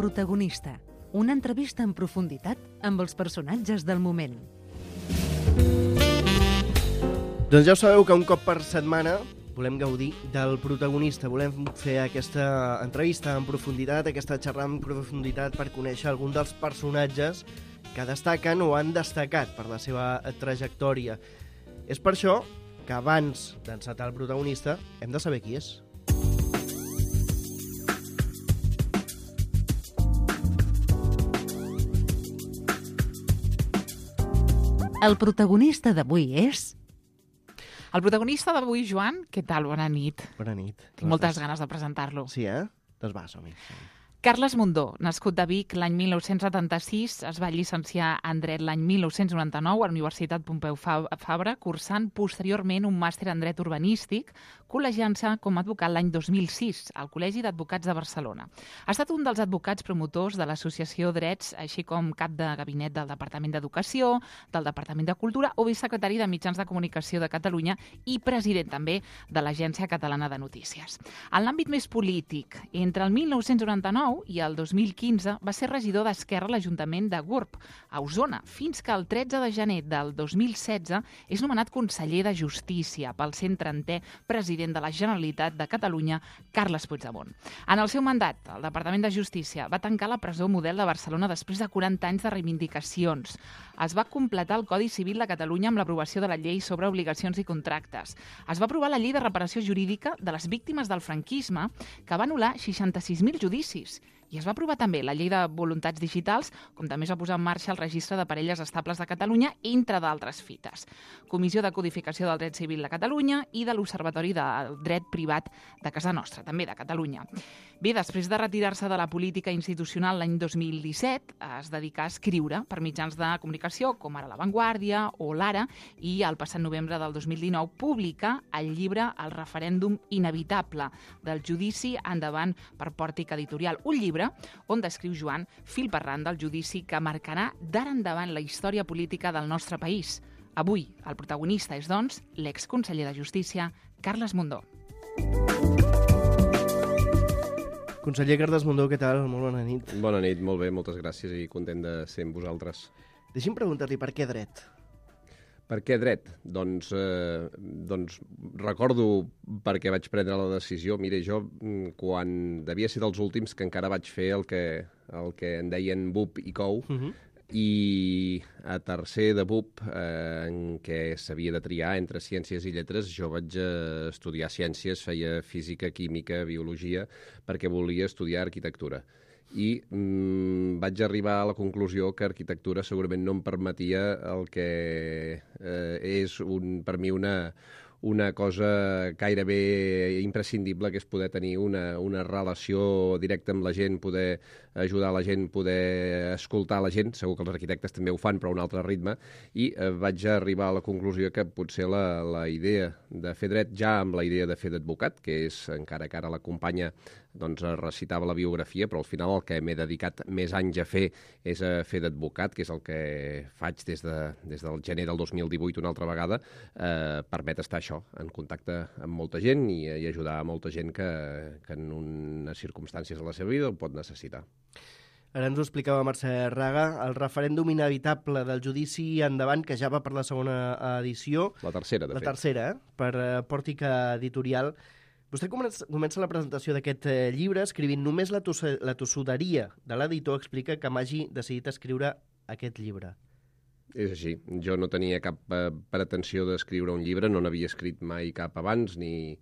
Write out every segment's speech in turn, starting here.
protagonista, una entrevista en profunditat amb els personatges del moment. Doncs ja ho sabeu que un cop per setmana volem gaudir del protagonista, volem fer aquesta entrevista en profunditat, aquesta xerrada en profunditat per conèixer algun dels personatges que destaquen o han destacat per la seva trajectòria. És per això que abans d'encetar el protagonista hem de saber qui és. El protagonista d'avui és... El protagonista d'avui, Joan, què tal? Bona nit. Bona nit. Tinc moltes ganes de presentar-lo. Sí, eh? Doncs va, som-hi. Carles Mundó, nascut de Vic l'any 1976, es va llicenciar en Dret l'any 1999 a la Universitat Pompeu Fabra, cursant posteriorment un màster en Dret Urbanístic, col·legiant-se com a advocat l'any 2006 al Col·legi d'Advocats de Barcelona. Ha estat un dels advocats promotors de l'Associació Drets, així com cap de gabinet del Departament d'Educació, del Departament de Cultura o vicesecretari de Mitjans de Comunicació de Catalunya i president també de l'Agència Catalana de Notícies. En l'àmbit més polític, entre el 1999 i el 2015 va ser regidor d'Esquerra a l'Ajuntament de Gurb, a Osona, fins que el 13 de gener del 2016 és nomenat conseller de Justícia pel 130è president de la Generalitat de Catalunya, Carles Puigdemont. En el seu mandat, el Departament de Justícia va tancar la presó model de Barcelona després de 40 anys de reivindicacions. Es va completar el Codi Civil de Catalunya amb l'aprovació de la llei sobre obligacions i contractes. Es va aprovar la llei de reparació jurídica de les víctimes del franquisme, que va anul·lar 66.000 judicis. I es va aprovar també la llei de voluntats digitals, com també es va posar en marxa el registre de parelles estables de Catalunya, entre d'altres fites. Comissió de Codificació del Dret Civil de Catalunya i de l'Observatori del Dret Privat de casa nostra, també de Catalunya. Bé, després de retirar-se de la política institucional l'any 2017, es dedicà a escriure per mitjans de comunicació, com ara La Vanguardia o l'Ara, i el passat novembre del 2019 publica el llibre El referèndum inevitable, del judici endavant per Pòrtic Editorial, un llibre on descriu Joan fil per ran del judici que marcarà d'ara endavant la història política del nostre país. Avui, el protagonista és, doncs, l'exconseller de Justícia, Carles Mundó. Conseller Carles Mundó, què tal? Molt bona nit. Bona nit, molt bé, moltes gràcies i content de ser amb vosaltres. Deixi'm preguntar-li per què dret? Per què dret? Doncs recordo per què vaig prendre la decisió. Mira, jo quan devia ser dels últims que encara vaig fer el que en deien BUP i COU, i a tercer de BUP, en què s'havia de triar entre ciències i lletres, jo vaig estudiar ciències, feia física, química, biologia, perquè volia estudiar arquitectura. I vaig arribar a la conclusió que arquitectura segurament no em permetia el que és per mi una cosa gairebé imprescindible, que és poder tenir una relació directa amb la gent, poder ajudar la gent, poder escoltar la gent. Segur que els arquitectes també ho fan, però a un altre ritme. I vaig arribar a la conclusió que potser la idea de fer dret, ja amb la idea de fer d'advocat, que és encara que ara la companya recitava la biografia, però al final el que m'he dedicat més anys a fer és a fer d'advocat, que és el que faig des del gener del 2018 una altra vegada, permet estar això, en contacte amb molta gent i ajudar a molta gent que en unes circumstàncies de la seva vida ho pot necessitar. Ara ens ho explicava Mercè Raga, el referèndum inevitable del judici endavant, que ja va per la segona edició. La tercera, de fet. La tercera, per Pòrtic Editorial. Vostè comença la presentació d'aquest llibre escrivint només la tossuderia de l'editor explica que m'hagi decidit escriure aquest llibre. És així. Jo no tenia cap pretensió d'escriure un llibre, no n'havia escrit mai cap abans, ni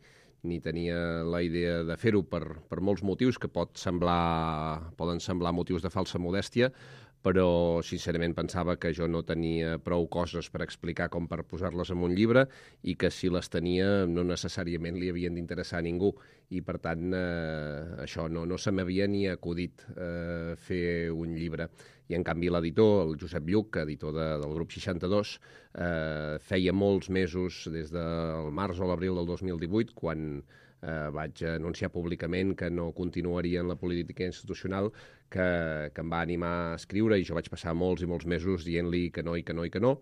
tenia la idea de fer-ho per molts motius que poden semblar motius de falsa modèstia, però sincerament pensava que jo no tenia prou coses per explicar com per posar-les en un llibre i que si les tenia no necessàriament li havien d'interessar a ningú. I per tant això no se m'havia ni acudit fer un llibre. I en canvi l'editor, el Josep Lluc, editor del grup 62, feia molts mesos, des del març o l'abril del 2018, quan vaig anunciar públicament que no continuaria en la política institucional, que em va animar a escriure, i jo vaig passar molts i molts mesos dient-li que no i que no i que no,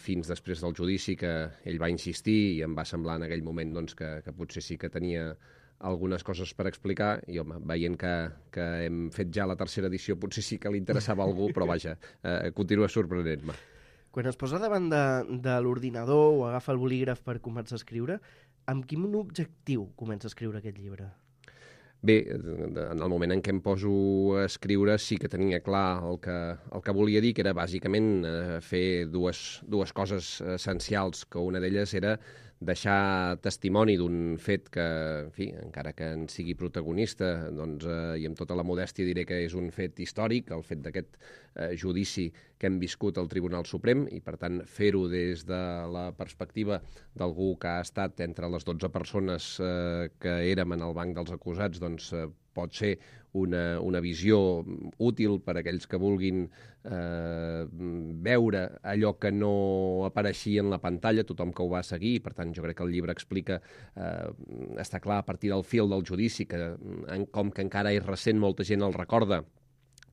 fins després del judici que ell va insistir i em va semblar en aquell moment que potser sí que tenia algunes coses per explicar i, home, veient que hem fet ja la tercera edició, potser sí que li interessava a algú, però vaja, continua sorprenent-me. Quan es posa davant de l'ordinador o agafa el bolígraf per començar a escriure, amb quin objectiu comença a escriure aquest llibre? Bé, en el moment en què em poso a escriure sí que tenia clar el que volia dir, que era bàsicament fer dues coses essencials, que una d'elles era deixar testimoni d'un fet que, en fi, encara que en sigui protagonista, doncs, i amb tota la modèstia diré que és un fet històric, el fet d'aquest judici que hem viscut al Tribunal Suprem, i per tant fer-ho des de la perspectiva d'algú que ha estat entre les 12 persones que érem en el banc dels acusats, doncs pot ser una visió útil per a aquells que vulguin veure allò que no apareixia en la pantalla, tothom que ho va seguir. Per tant, jo crec que el llibre explica, està clar a partir del fil del judici, que com que encara és recent, molta gent el recorda,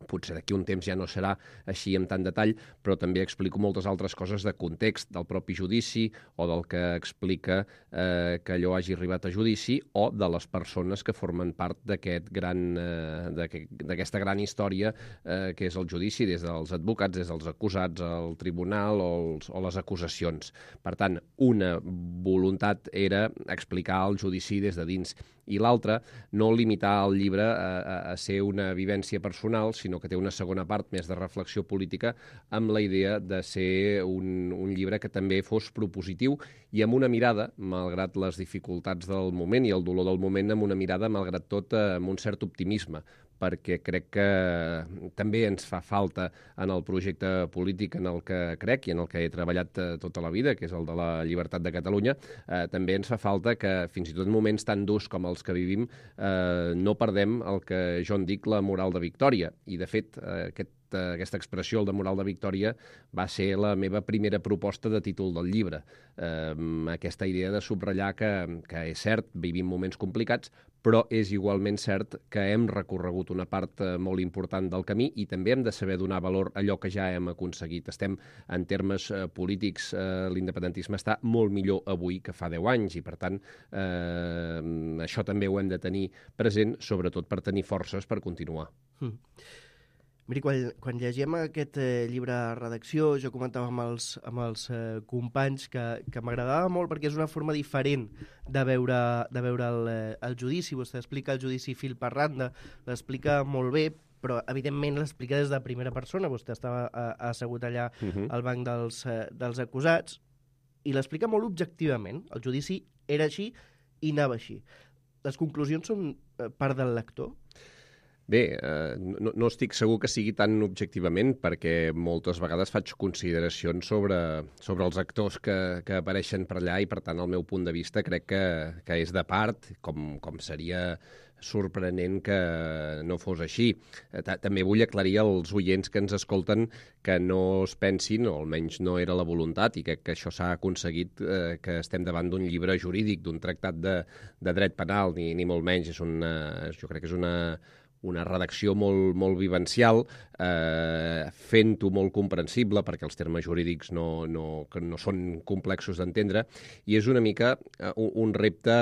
potser d'aquí un temps ja no serà així amb tant detall, però també explico moltes altres coses de context del propi judici o del que explica que allò hagi arribat a judici o de les persones que formen part d'aquesta gran història que és el judici, des dels advocats, des dels acusats, el tribunal o les acusacions. Per tant, una voluntat era explicar el judici des de dins i l'altra, no limitar el llibre a ser una vivència personal, sinó que té una segona part més de reflexió política amb la idea de ser un llibre que també fos propositiu i amb una mirada, malgrat les dificultats del moment i el dolor del moment, amb una mirada, malgrat tot, amb un cert optimisme, perquè crec que també ens fa falta en el projecte polític en el que crec i en el que he treballat tota la vida, que és el de la llibertat de Catalunya, també ens fa falta que, fins i tot en moments tan durs com els que vivim, no perdem el que jo en dic la moral de victòria. I, de fet, aquesta expressió, el de moral de victòria, va ser la meva primera proposta de títol del llibre. Aquesta idea de subratllar que és cert, vivim moments complicats, però és igualment cert que hem recorregut una part molt important del camí i també hem de saber donar valor a allò que ja hem aconseguit. Estem, en termes polítics, l'independentisme està molt millor avui que fa 10 anys i, per tant, això també ho hem de tenir present, sobretot per tenir forces per continuar. Miri, quan llegim aquest llibre a redacció, jo comentava amb els companys que m'agradava molt perquè és una forma diferent de veure el judici. Vostè explica el judici fil per randa, l'explica molt bé, però evidentment l'explica des de primera persona. Vostè estava assegut allà al banc dels acusats i l'explica molt objectivament. El judici era així i anava així. Les conclusions són part del lector? Bé, no estic segur que sigui tan objectivament perquè moltes vegades faig consideracions sobre els actors que apareixen per allà i, per tant, el meu punt de vista crec que és de part, com seria sorprenent que no fos així. També vull aclarir als oients que ens escolten que no es pensin, o almenys no era la voluntat, i crec que això s'ha aconseguit, que estem davant d'un llibre jurídic, d'un tractat de dret penal, ni molt menys. Jo crec que és una redacció molt vivencial, fent-ho molt comprensible, perquè els termes jurídics no són complexos d'entendre, i és una mica un repte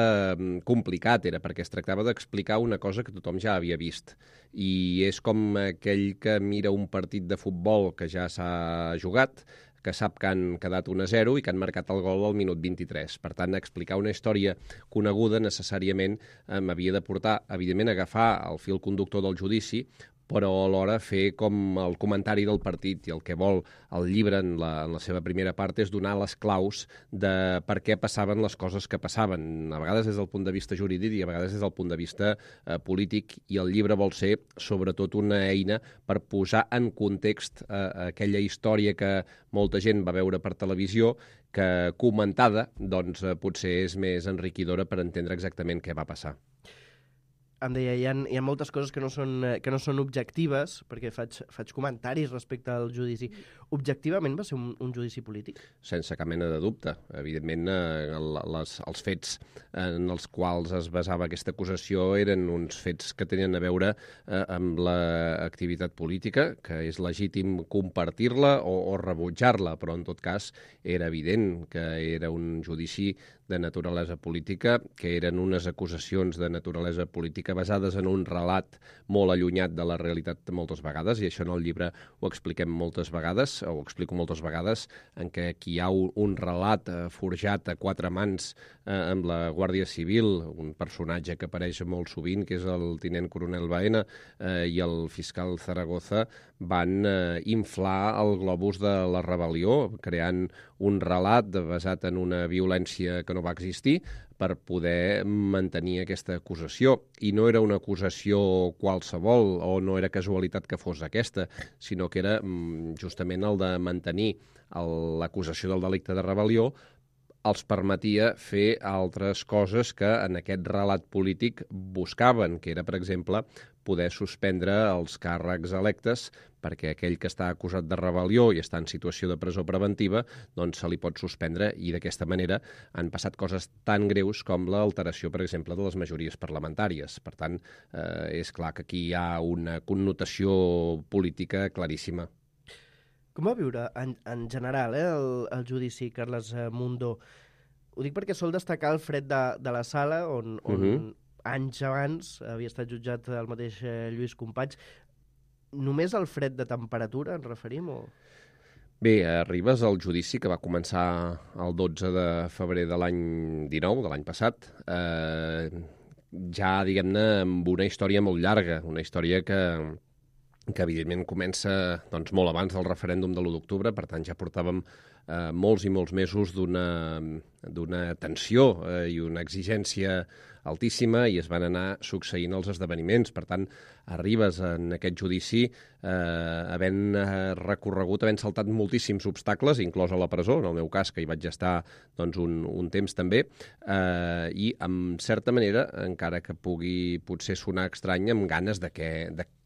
complicat, perquè es tractava d'explicar una cosa que tothom ja havia vist. I és com aquell que mira un partit de futbol que ja s'ha jugat, que sap que han quedat 1-0 i que han marcat el gol al minut 23. Per tant, explicar una història coneguda necessàriament m'havia de portar, evidentment, a agafar el fil conductor del judici, però alhora fer com el comentari del partit, i el que vol el llibre en la seva primera part és donar les claus de per què passaven les coses que passaven, a vegades des del punt de vista jurídic i a vegades des del punt de vista polític, i el llibre vol ser sobretot una eina per posar en context aquella història que molta gent va veure per televisió, que comentada doncs potser és més enriquidora per entendre exactament què va passar. em deia, hi ha moltes coses que no són objectives, perquè faig comentaris respecte al judici. Objectivament va ser un judici polític? Sense cap mena de dubte. Evidentment, els fets en els quals es basava aquesta acusació eren uns fets que tenien a veure amb l'activitat política, que és legítim compartir-la o rebutjar-la, però en tot cas era evident que era un judici de naturalesa política, que eren unes acusacions de naturalesa política basades en un relat molt allunyat de la realitat moltes vegades, i això en el llibre ho expliquem moltes vegades, o ho explico moltes vegades, en què aquí hi ha un relat forjat a quatre mans amb la Guàrdia Civil, un personatge que apareix molt sovint, que és el tinent coronel Baena, i el fiscal Zaragoza, van inflar el globus de la rebel·lió, creant un relat basat en una violència que no va existir per poder mantenir aquesta acusació. I no era una acusació qualsevol, o no era casualitat que fos aquesta, sinó que era justament el de mantenir l'acusació del delicte de rebel·lió els permetia fer altres coses que en aquest relat polític buscaven, que era, per exemple, poder suspendre els càrrecs electes perquè aquell que està acusat de rebel·lió i està en situació de presó preventiva, doncs se li pot suspendre, i d'aquesta manera han passat coses tan greus com l'alteració, per exemple, de les majories parlamentàries. Per tant, és clar que aquí hi ha una connotació política claríssima. Com va viure en general el judici, Carles Mundó? Ho dic perquè sol destacar el fred de la sala, on anys abans havia estat jutjat el mateix Lluís Companys. Només el fred de temperatura ens referim? O... Bé, arribes al judici que va començar el 12 de febrer de l'any 19, de l'any passat, ja, diguem-ne, amb una història molt llarga, una història que evidentment comença doncs, molt abans del referèndum de l'1 d'octubre, per tant ja portàvem molts i molts mesos d'una tensió i una exigència altíssima, i es van anar succeint els esdeveniments. Per tant, arribes en aquest judici havent recorregut, havent saltat moltíssims obstacles, inclòs a la presó, en el meu cas, que hi vaig estar doncs, un temps també, i, en certa manera, encara que pugui potser sonar estrany, amb ganes de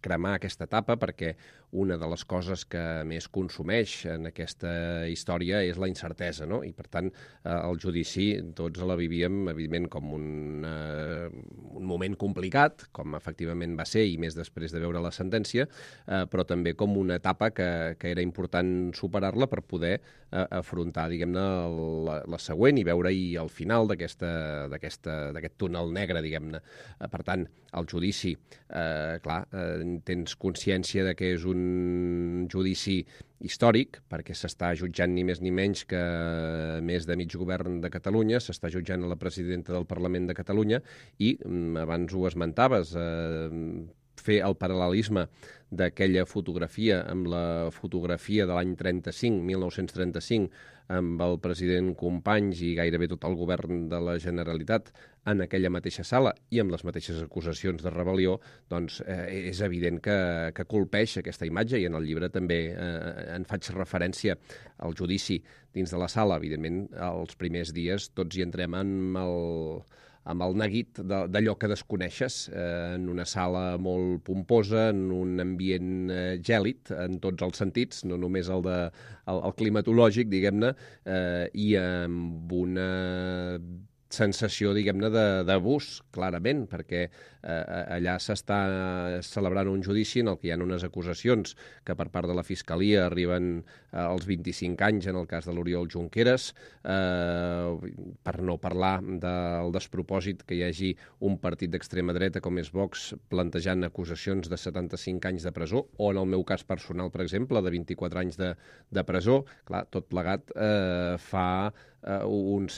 cremar aquesta etapa, perquè una de les coses que més consumeix en aquesta història és la incertesa, no? I, per tant, el judici tots la vivíem, evidentment, com un moment complicat, com efectivament va ser, i més després de veure la sentència, però també com una etapa que era important superar-la per poder afrontar, diguem-ne, la següent i veure-hi el final d'aquest túnel negre, diguem-ne. Per tant, el judici, clar, tens consciència de que és un judici històric, perquè s'està jutjant ni més ni menys que més de mig govern de Catalunya, s'està jutjant a la presidenta del Parlament de Catalunya, i abans ho esmentaves, fer el paral·lelisme d'aquella fotografia amb la fotografia de l'any 1935, amb el president Companys i gairebé tot el govern de la Generalitat en aquella mateixa sala i amb les mateixes acusacions de rebel·lió, doncs és evident que colpeix aquesta imatge, i en el llibre també en faig referència al judici dins de la sala. Evidentment, els primers dies tots hi entrem amb el neguit d'allò que desconeixes, en una sala molt pomposa, en un ambient gèlid, en tots els sentits, no només el climatològic, diguem-ne, i amb una sensació, diguem-ne, d'abús, clarament, perquè allà s'està celebrant un judici en el que hi ha unes acusacions que per part de la Fiscalia arriben als 25 anys en el cas de l'Oriol Junqueras, per no parlar del despropòsit que hi hagi un partit d'extrema dreta com és Vox plantejant acusacions de 75 anys de presó, o en el meu cas personal, per exemple, de 24 anys de presó. Clar, tot plegat fa una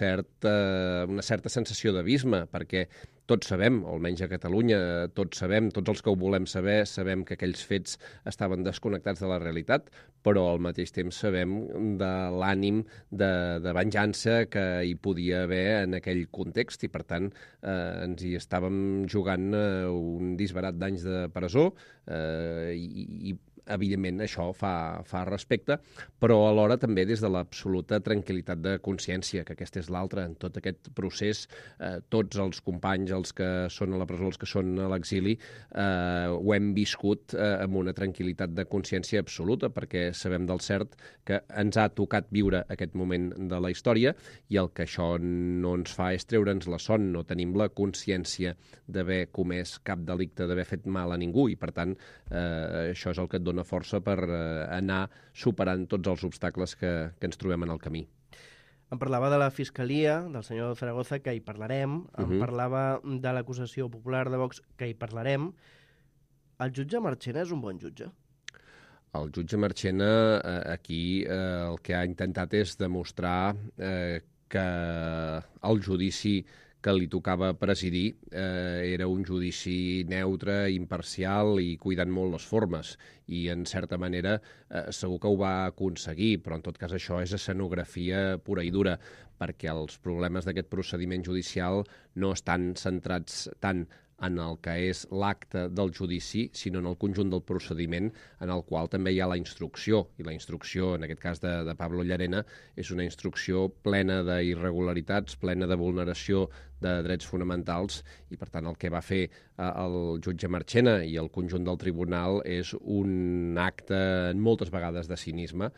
certa sensació d'abisme, perquè tots sabem, o almenys a Catalunya, tots sabem, tots els que ho volem saber, sabem que aquells fets estaven desconnectats de la realitat, però al mateix temps sabem de l'ànim de venjança que hi podia haver en aquell context, i per tant ens hi estàvem jugant un disbarat d'anys de presó, i evidentment, això fa respecte, però alhora també des de l'absoluta tranquil·litat de consciència, que aquesta és l'altra. En tot aquest procés, tots els companys, els que són a la presó, els que són a l'exili, ho hem viscut amb una tranquil·litat de consciència absoluta, perquè sabem del cert que ens ha tocat viure aquest moment de la història i el que això no ens fa és treure'ns la son, no tenim la consciència d'haver comès cap delicte, d'haver fet mal a ningú i, per tant, això és el que et dona força per anar superant tots els obstacles que ens trobem en el camí. Em parlava de la Fiscalia, del senyor Zaragoza, que hi parlarem. Em parlava de l'acusació popular de Vox, que hi parlarem. El jutge Marchena és un bon jutge? El jutge Marchena aquí el que ha intentat és demostrar que el judici que li tocava presidir era un judici neutre, imparcial i cuidant molt les formes. I, en certa manera, segur que ho va aconseguir, però en tot cas això és escenografia pura i dura, perquè els problemes d'aquest procediment judicial no estan centrats tant en el que és l'acte del judici, sinó en el conjunt del procediment, en el qual també hi ha la instrucció. I la instrucció, en aquest cas de Pablo Llarena, és una instrucció plena d'irregularitats, plena de vulneració de drets fonamentals, i per tant el que va fer el jutge Marchena i el conjunt del tribunal és un acte moltes vegades de cinisme,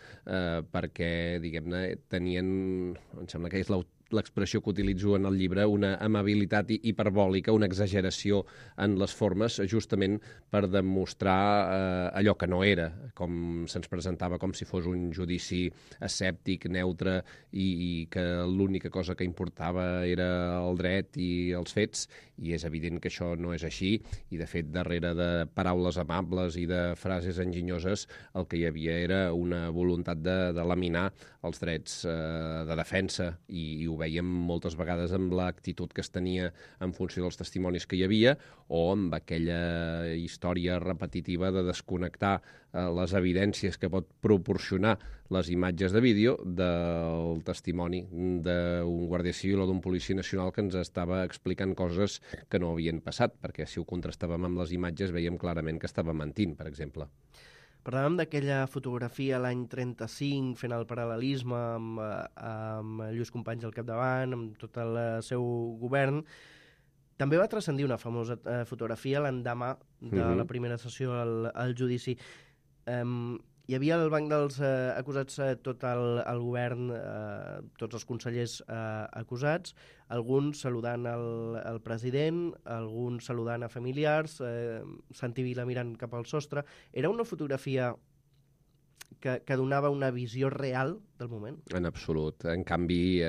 perquè, diguem-ne, tenien, em sembla que és l'expressió que utilitzo en el llibre, una amabilitat hiperbòlica, una exageració en les formes, justament per demostrar allò que no era, com se'ns presentava com si fos un judici escèptic, neutre, i que l'única cosa que importava era el dret i els fets, i és evident que això no és així, i de fet, darrere de paraules amables i de frases enginyoses, el que hi havia era una voluntat de laminar els drets de defensa, i ho veiem moltes vegades amb l'actitud que es tenia en funció dels testimonis que hi havia o amb aquella història repetitiva de desconnectar les evidències que pot proporcionar les imatges de vídeo del testimoni d'un guàrdia civil o d'un policia nacional que ens estava explicant coses que no havien passat, perquè si ho contrastàvem amb les imatges veiem clarament que estava mentint, per exemple. Parlàvem d'aquella fotografia l'any 35, fent el paral·lelisme amb Lluís Companys al capdavant, amb tot el seu govern. També va transcendir una famosa fotografia l'endemà de la primera sessió al judici. Hi havia al banc dels acusats tot el govern, tots els consellers acusats, alguns saludant el president, alguns saludant a familiars, Santi Vila mirant cap al sostre. Era una fotografia que donava una visió real del moment? En absolut. En canvi,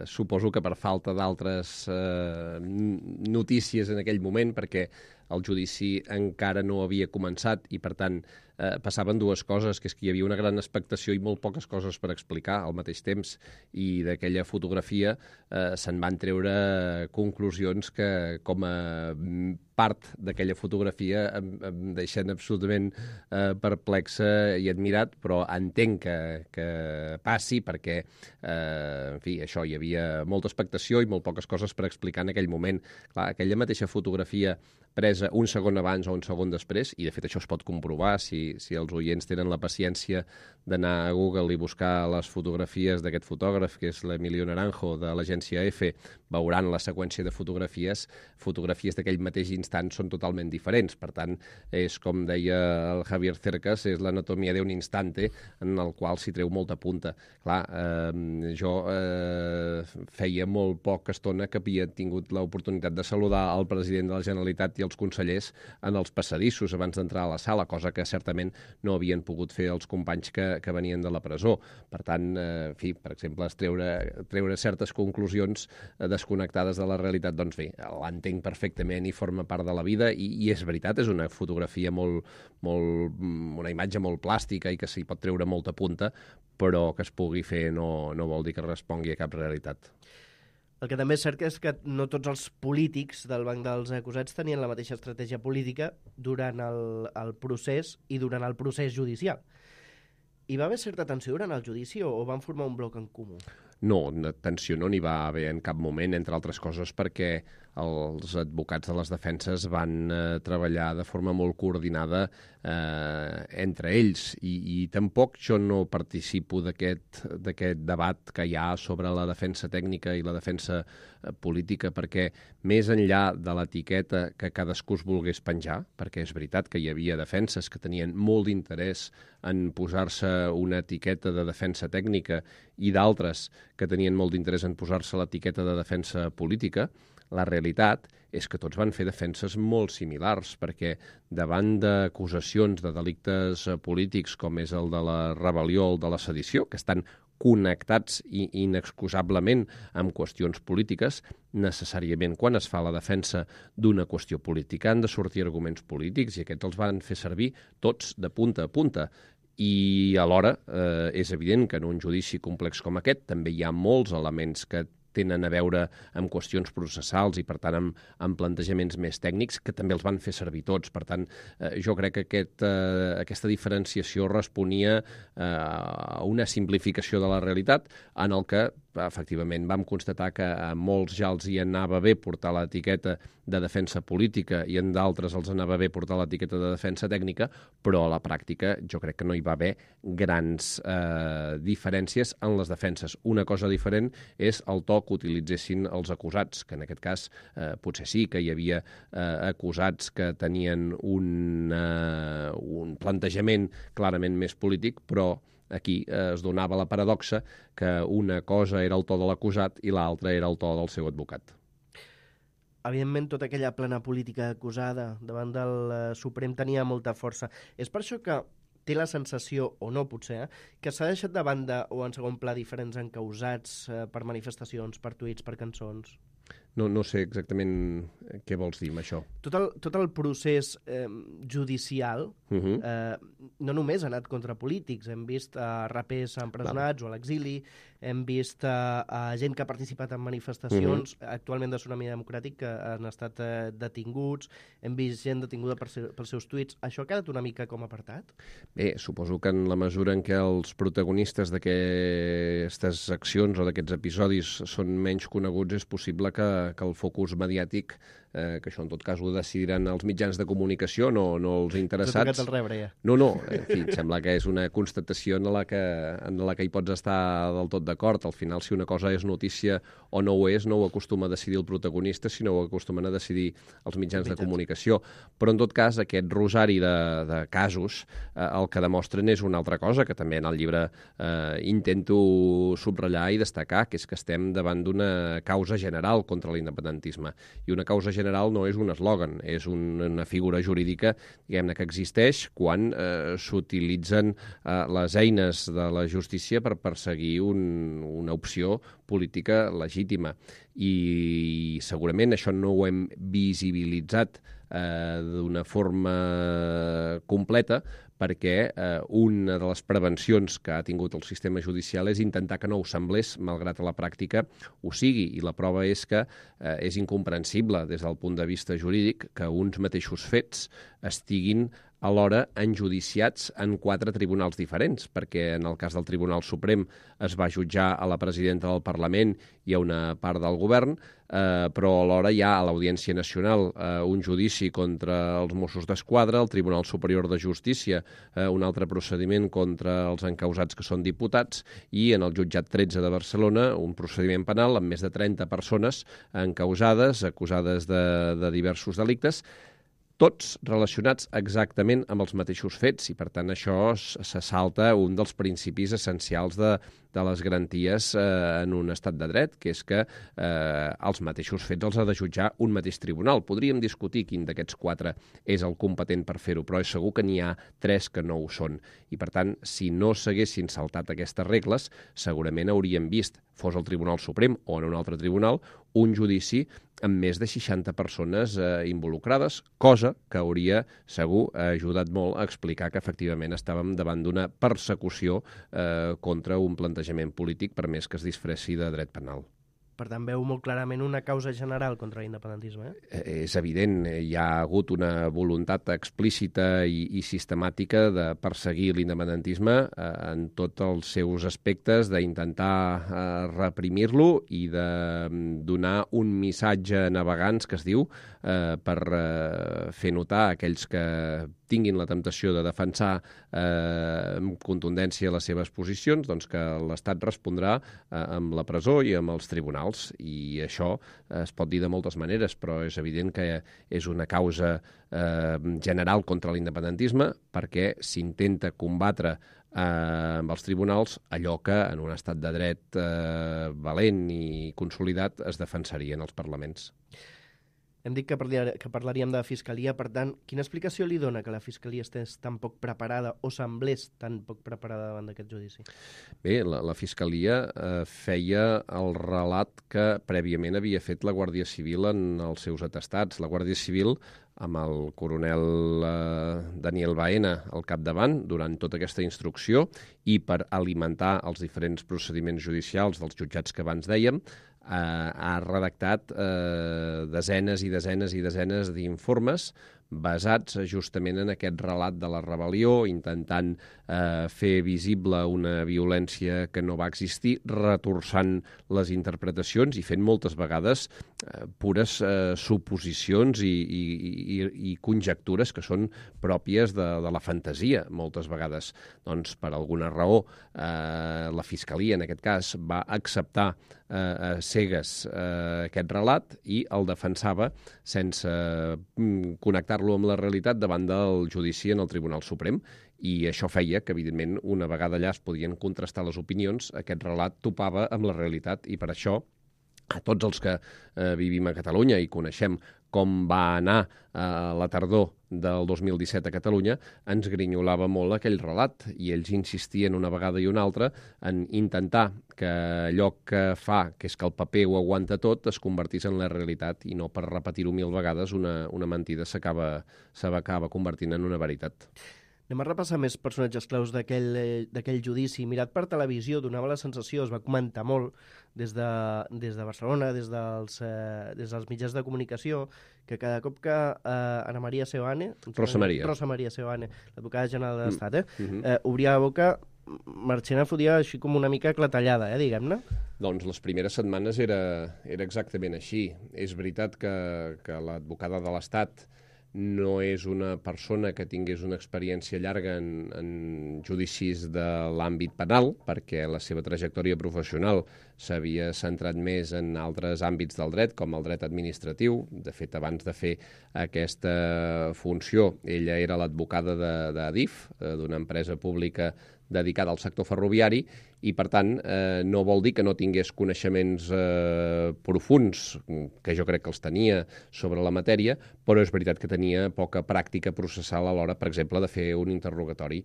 suposo que per falta d'altres notícies en aquell moment, perquè el judici encara no havia començat i, per tant, passaven dues coses, que és que hi havia una gran expectació i molt poques coses per explicar al mateix temps, i d'aquella fotografia se'n van treure conclusions que, com a part d'aquella fotografia, em deixen absolutament perplexa i admirat, però entenc que passi perquè, en fi, això, hi havia molta expectació i molt poques coses per explicar en aquell moment. Clar, aquella mateixa fotografia presa un segon abans o un segon després, i de fet això es pot comprovar si els oients tenen la paciència d'anar a Google i buscar les fotografies d'aquest fotògraf, que és l'Emilio Naranjo, de l'agència EFE, veuran la seqüència de fotografies d'aquell mateix instant són totalment diferents. Per tant, és com deia el Javier Cercas, és l'anatomia d'un instante en el qual s'hi treu molta punta. Clar, jo feia molt poca estona que havia tingut l'oportunitat de saludar el president de la Generalitat i els consellers en els passadissos abans d'entrar a la sala, cosa que certament no havien pogut fer els companys que venien de la presó. Per tant, en fi, per exemple, treure certes conclusions desconnectades de la realitat, doncs bé, l'entenc perfectament i forma part de la vida, i és veritat, és una fotografia una imatge molt plàstica i que s'hi pot treure molta punta, però que es pugui fer no vol dir que respongui a cap realitat. El que també és cert és que no tots els polítics del banc dels acusats tenien la mateixa estratègia política durant el procés i durant el procés judicial. Hi va haver certa tensió durant el judici o van formar un bloc en comú? No, tensió no n'hi va haver en cap moment, entre altres coses perquè els advocats de les defenses van treballar de forma molt coordinada entre ells i tampoc jo no participo d'aquest debat que hi ha sobre la defensa tècnica i la defensa política, perquè més enllà de l'etiqueta que cadascú es volgués penjar, perquè és veritat que hi havia defenses que tenien molt d'interès en posar-se una etiqueta de defensa tècnica i d'altres que tenien molt d'interès en posar-se l'etiqueta de defensa política, la realitat és que tots van fer defenses molt similars, perquè davant d'acusacions de delictes polítics com és el de la rebel·lió o el de la sedició, que estan connectats inexcusablement amb qüestions polítiques, necessàriament quan es fa la defensa d'una qüestió política han de sortir arguments polítics i aquests els van fer servir tots de punta a punta. I alhora és evident que en un judici complex com aquest també hi ha molts elements que tenen a veure amb qüestions processals i, per tant, amb plantejaments més tècnics que també els van fer servir tots. Per tant, jo crec que aquesta diferenciació responia a una simplificació de la realitat en el que, efectivament, vam constatar que a molts ja els hi anava bé portar l'etiqueta de defensa política i en d'altres els anava bé portar l'etiqueta de defensa tècnica, però a la pràctica jo crec que no hi va haver grans diferències en les defenses. Una cosa diferent és el to que utilitzessin els acusats, que en aquest cas potser sí que hi havia acusats que tenien un plantejament clarament més polític, però aquí es donava la paradoxa que una cosa era el to de l'acusat i l'altra era el to del seu advocat. Evidentment, tota aquella plana política acusada davant del Suprem tenia molta força. És per això que té la sensació, o no potser, que s'ha deixat de banda o en segon pla diferents encausats per manifestacions, per tuits, per cançons? No sé exactament què vols dir amb això. Tot el procés judicial no només ha anat contra polítics. Hem vist rapers empresonats o a l'exili, hem vist gent que ha participat en manifestacions actualment de Tsunami Democràtic que han estat detinguts, hem vist gent detinguda pels seus tuits. Això ha quedat una mica com apartat? Bé, suposo que en la mesura en què els protagonistes d'aquestes accions o d'aquests episodis són menys coneguts, és possible que el focus mediàtic, que això en tot cas ho decidiran els mitjans de comunicació, no els interessats. T'ha tocat el rebre, ja. No, en fi, sembla que és una constatació en la que hi pots estar del tot d'acord. Al final, si una cosa és notícia o no ho és, no ho acostuma a decidir el protagonista, sinó ho acostumen a decidir els mitjans de comunicació. Però, en tot cas, aquest rosari de casos el que demostren és una altra cosa, que també en el llibre intento subratllar i destacar, que és que estem davant d'una causa general contra l'independentisme. I una causa general no és un eslògan, és una figura jurídica, diguem-ne, que existeix quan s'utilitzen les eines de la justícia per perseguir una opció política legítima. I segurament això no ho hem visibilitzat d'una forma completa, perquè una de les prevencions que ha tingut el sistema judicial és intentar que no ho semblés, malgrat a la pràctica ho sigui. I la prova és que és incomprensible des del punt de vista jurídic que uns mateixos fets estiguin alhora enjudiciats en 4 tribunals diferents, perquè en el cas del Tribunal Suprem es va jutjar a la presidenta del Parlament i a una part del govern, però alhora hi ha a l'Audiència Nacional un judici contra els Mossos d'Esquadra, al Tribunal Superior de Justícia un altre procediment contra els encausats que són diputats i en el jutjat 13 de Barcelona un procediment penal amb més de 30 persones encausades, acusades de diversos delictes, tots relacionats exactament amb els mateixos fets i, per tant, això se salta un dels principis essencials de les garanties en un estat de dret, que és que els mateixos fets els ha de jutjar un mateix tribunal. Podríem discutir quin d'aquests 4 és el competent per fer-ho, però és segur que n'hi ha 3 que no ho són. I, per tant, si no s'haguessin saltat aquestes regles, segurament hauríem vist, fos el Tribunal Suprem o en un altre tribunal, un judici amb més de 60 persones involucrades, cosa que hauria segur ajudat molt a explicar que efectivament estàvem davant d'una persecució contra un plantejament polític, per més que es disfressi de dret penal. Per tant, veu molt clarament una causa general contra l'independentisme. És evident, hi ha hagut una voluntat explícita i sistemàtica de perseguir l'independentisme en tots els seus aspectes, d'intentar reprimir-lo i de donar un missatge a navegants, que es diu, per fer notar a aquells que tinguin la temptació de defensar amb contundència les seves posicions, doncs que l'Estat respondrà amb la presó i amb els tribunals. I això es pot dir de moltes maneres, però és evident que és una causa general contra l'independentisme perquè s'intenta combatre amb els tribunals allò que en un estat de dret valent i consolidat es defensarien els parlaments. Hem dit que parlaríem de Fiscalia, per tant, quina explicació li dona que la Fiscalia estés tan poc preparada o semblés tan poc preparada davant d'aquest judici? Bé, la Fiscalia feia el relat que prèviament havia fet la Guàrdia Civil en els seus atestats. La Guàrdia Civil, amb el coronel Daniel Baena al capdavant durant tota aquesta instrucció i per alimentar els diferents procediments judicials dels jutjats que abans dèiem, ha redactat desenes i desenes i desenes d'informes basats justament en aquest relat de la rebel·lió, intentant fer visible una violència que no va existir, retorçant les interpretacions i fent moltes vegades pures suposicions i conjectures que són pròpies de la fantasia, moltes vegades. Doncs, per alguna raó, la Fiscalia, en aquest cas, va acceptar a cegues aquest relat i el defensava sense connectar-lo amb la realitat davant del judici en el Tribunal Suprem. I això feia que, evidentment, una vegada allà es podien contrastar les opinions, aquest relat topava amb la realitat i per això a tots els que vivim a Catalunya i coneixem com va anar la tardor del 2017 a Catalunya, ens grinyolava molt aquell relat i ells insistien una vegada i una altra en intentar que allò que fa, que és que el paper ho aguanta tot, es convertís en la realitat i no per repetir-ho 1000 vegades una mentida s'acaba convertint en una veritat. Anem a repassar més personatges claus d'aquell judici. Mirat per televisió, donava la sensació, es va comentar molt des de Barcelona, des dels mitjans de comunicació, que cada cop que Ana María Seoane, Rosa María Seoane, l'advocada general de l'Estat, obria la boca, Marchena fotia així com una mica clatellada, diguem-ne. Doncs les primeres setmanes era exactament així. És veritat que l'advocada de l'Estat no és una persona que tingués una experiència llarga en judicis de l'àmbit penal, perquè la seva trajectòria professional s'havia centrat més en altres àmbits del dret, com el dret administratiu. De fet, abans de fer aquesta funció, ella era l'advocada d'Adif, d'una empresa pública dedicada al sector ferroviari, i, per tant, no vol dir que no tingués coneixements profuns, que jo crec que els tenia sobre la matèria, però és veritat que tenia poca pràctica processal a l'hora, per exemple, de fer un interrogatori.